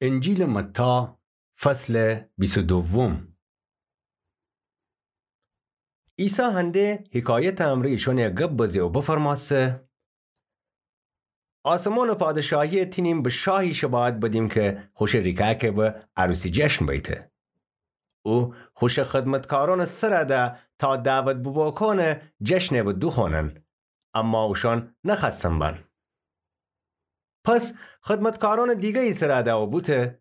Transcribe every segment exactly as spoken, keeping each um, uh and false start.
انجیلٚ متی، فصلٚ بیست و دوم. عیسی هنده حکایتٚ امرأ ایشأنٚ گب بزه و بفرمأسته: آسمانٚ پادشاهی تینیم به شاهی شباهت بدیم کی خوشٚ ریکأکه به عروسی جشن بیته. او خوشٚ خدمتکارأنٚ سر ده تا دعوت بوبوکانٚ جشنه به دوخوأنن، اما اوشأن نخوأستن بأن. پس خدمتکارأنٚ دیگری سر ده و بوته: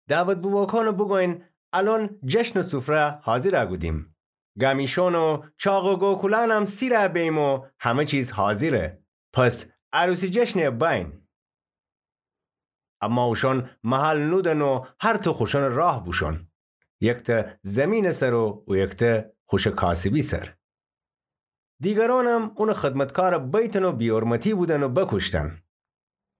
دعوت بوبوکانٚ بوگوین الأن جشنٚ سفره حاضر کودیم. گمیشأن و چاق و گوکولأنم سیر بییم و همه چیز حاضره. پس عروسی جشنه بأین. اما اوشأن محل نودن و هر تو خوشأنٚ راه بوشون، یکته زیمینٚ سر و او یکته خوشٚ کاسبی سر. دیگرأنم اونٚ خدمتکار بیتن و بی‌حرمتی بودن و بکوشتن.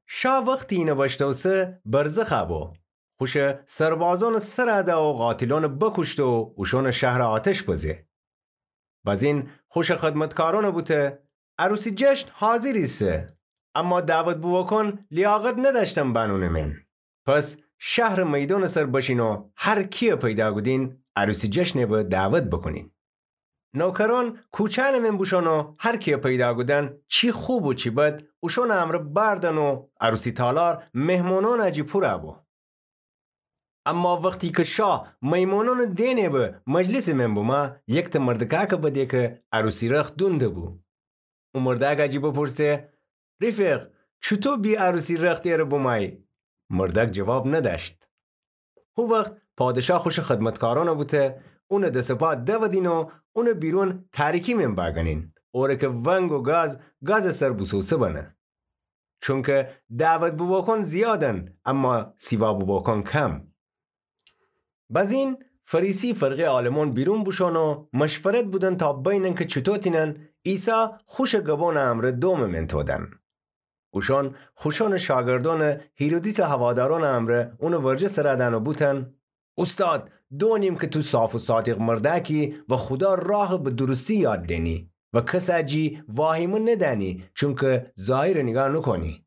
شا وختی اینه بشتوسه برزخ بو، خوشٚ سربازأنٚ سر ده و قاتلأنٚ بکوشته و اوشأنٚ شهر آتش بزه. بزین خوشٚ خدمتکارأنٚ بوته: عروسی جشن حاضر ایسه، اما دعوت بوبوکان لیاقت ندأشتن بأن اونٚ من. پس شهرٚ میدانٚ سر بشین و هر کیه پیدا کودین عروسی جشنه به دعوت بوکونین. نوکرأن کوچأنٚ من بوشون و هر کیه پیدا کودن، چی خوب و چی بد، اوشأنٚ امرأ بأردن و عروسی تالار مهمانأنٚ جی پور بو. اما وختی کی شا میمونأنٚ دئنه به مجلسٚ من بومه، یکته مردکأکه بده کی عروسی رخت دونده بو. او مردأکٚ جی بپرسه: رفیق، چوطو بی عروسی رخت اره بومأیی؟ مردأک جواب ندأشت. هو وخت پادشا خوشٚ خدمتکارأنٚ بوته اونٚ دس و پا دودین و اونٚ بیرون تاریکی من بأگنین، اوره کی ونگ و گاز گازٚ سر بوسوسه بنه. چونکی دعوت بوبوکان زیادن، اما سیوا بوبوکان کم. بزین فریسی فرقه عالمون بیرون بوشون و مشورت بودن تا بینن کی چوطو تینن عیسی خوشٚ گبونٚ امرأ دومٚ من تودن. اوشون خوشونٚ شاگردونٚ هیرودیسٚ هوادارونٚ امرأ اونٚ ورجه سر دن و بوتن: اوستاد، دونیم کی تو صاف و صادق مردأکی و خودا راه به درستی یاد دئنی و کسٚ جی واهیمه ندأنی، چونکی ظاهرٚ نیگاه نوکونی.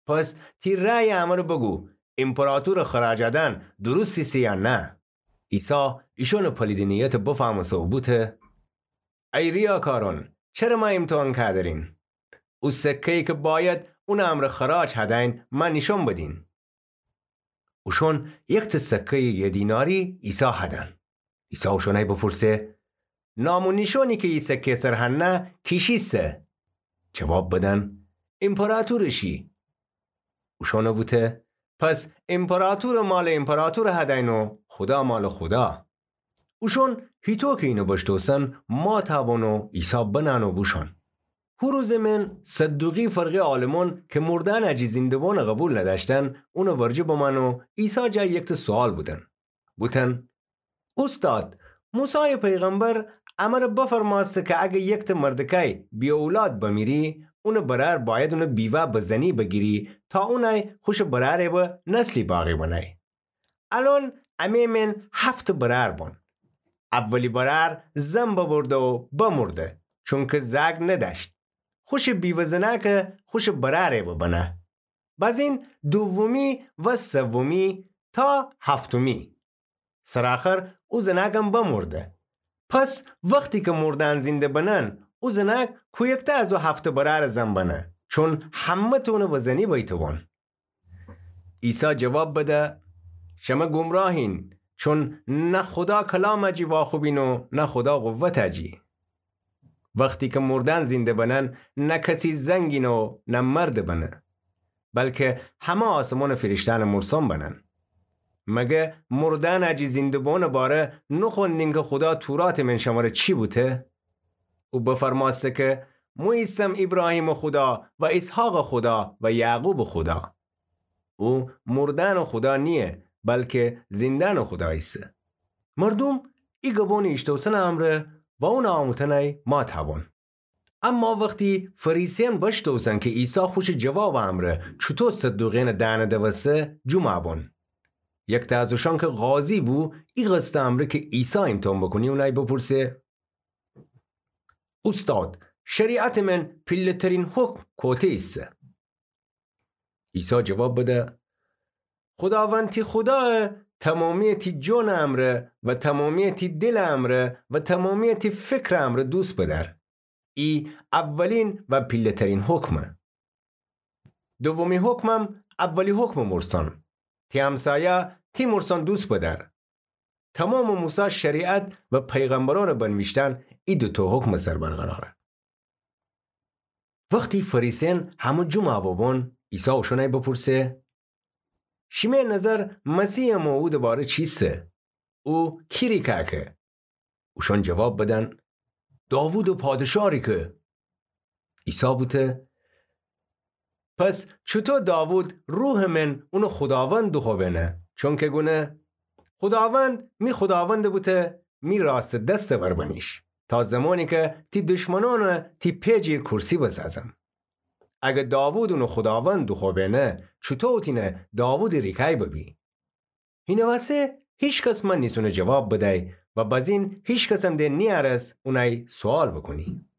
پس تی رأیٚ امرأ بوگو، ایمپراتورٚ خراج دأن درست ایسه یا نه؟ عیسی ایشونٚ پلیدٚ نیتٚ بفهمسته و بوته: ای ریاکارون، چره مأ ایمتحان کأدرین؟ او سکه‌یی کی باید اونٚ امرأ خراج هدأین، مأ نیشون بدین. اوشون یکته سکه‌یٚ یه دیناری عیسی هدن. عیسی اوشونأی بپرسه: نام و نیشونی کی ای سکه سر هنه کیشی سه؟ جواب بدن: ایمپراتورٚ شی. اوشون بوته: پس ایمپراتورٚ مالٚ ایمپراتور هدأین و خودا مالٚ خودا. اوشون هیطو کی اینٚ بشتوسن مات بون و عیسی بنأن و بوشون. هو روزٚ من صدوقی فرقه عالمون کی مردأنٚ جی زینده‌بونٚ قوبیل ندأشتن، اونٚ ورجه بمأن و عیسی جا یکته سوال بودن. بوتن: اوستاد، موسایٚ پیغمبر امرأ بفرمأسته کی اگر یکته مردکأی بی اولاد بمیری، اونٚ برأر باید اونٚ بیوه به زنی بگیری تا اونأی خوشٚ برأرٚ به نسلی باقی بنأی. الأن امه من هفت برأر بون. اولی برأر زن ببرده و بمرده، چونکی زأک ندأشت. خوشٚ بیوه زنأکه خوشٚ برأرٚ به بنه. بزین دومی و سومی تا هفتمی. سرٚ آخر او زنأکم بمرده. پس وختی کی مردأن زینده بنن، او زنأک کویکته از او هفت برأرٚ زن بنه، چون همه‌تون به زنی بیته‌بون. عیسی جواب بده: شمه گمراهین، چون نه خودا کلامٚ جی واخوبین و نه خودا قوتٚ جی. وختی کی مردأن زینده بنن، نه کسی زنگینه و نه مرد بنه، بلکی همه آسمانٚ فیرشتأنٚ مرسوم بنن. مگر مردأنٚ جی زینده‌بونٚ باره نوخوندین کی خودا توراتٚ من شمره چی بوته؟ او بفرمأسته کی مو ایسم ایبراهیمٚ خودا و ایسحاقٚ خودا و یعقوبٚ خودا. او مردأنٚ خودا نییه، بلکی زیندأنٚ خودا ایسه. مردوم ای گبونٚ ایشتوسنٚ امرأ و اونٚ آموتنأی مات بون. اما وختی فریسیأن بشتوسن کی عیسی خوشٚ جوابٚ امرأ چوطو صدوقیأنٚ دهنٚ دوسته، جوم بون. یکته از اوشأن کی قاضی بو، ای قصدٚ امرأ کی عیسی ایمتحان بوکونی اونأی بپرسه: اوستاد، شریعتٚ من پیله‌ترین حکم کوته ایسه؟ عیسی جواب بده: خوداوند تی خودایَ تمامیٚ تی جانٚ امرأ و تمامیٚ تی دلٚ امرأ و تمامیٚ تی فکرٚ امرأ دوست بدأر. ای اوّلین و پیله‌ترین حکمه. دومی حکمم اولی حکمٚ مورسان: تی همسایه تی مورسان دوست بدأر. تمامٚ موسی شریعت و پیغمبرأنٚ بنویشتن ای دوتأ حکمٚ سر برقراره. وختی فریسیأن همه جمع ببون، عیسی اوشأنَ بپرسه: شیمه نظر مسیحٚ موعودٚ باره چیسه؟ او کی ریکه که؟ اوشأن جواب بدن: داوودٚ پادشاه ریکه. عیسی بوته: پس چوطو داوود روحٚ من اونَ خوداوند دوخوأبأنه؟ چونکه گونه: خوداوند می خوداوندَ بوته، می راستٚ دستٚ ور بنیش، تا زمانی که تی دشمنأنَ تی پئ جیر کورسی بسازم. اگه داوود اونَ خوداوند دوخوأبأنه، چوطو اوطینه داوودٚ ریکه‌ی ببی؟ هینٚ وسه هیکس من نیسونه جواب بدی و بزین هیکسم د نیأرس اونَی سوال بوکونی.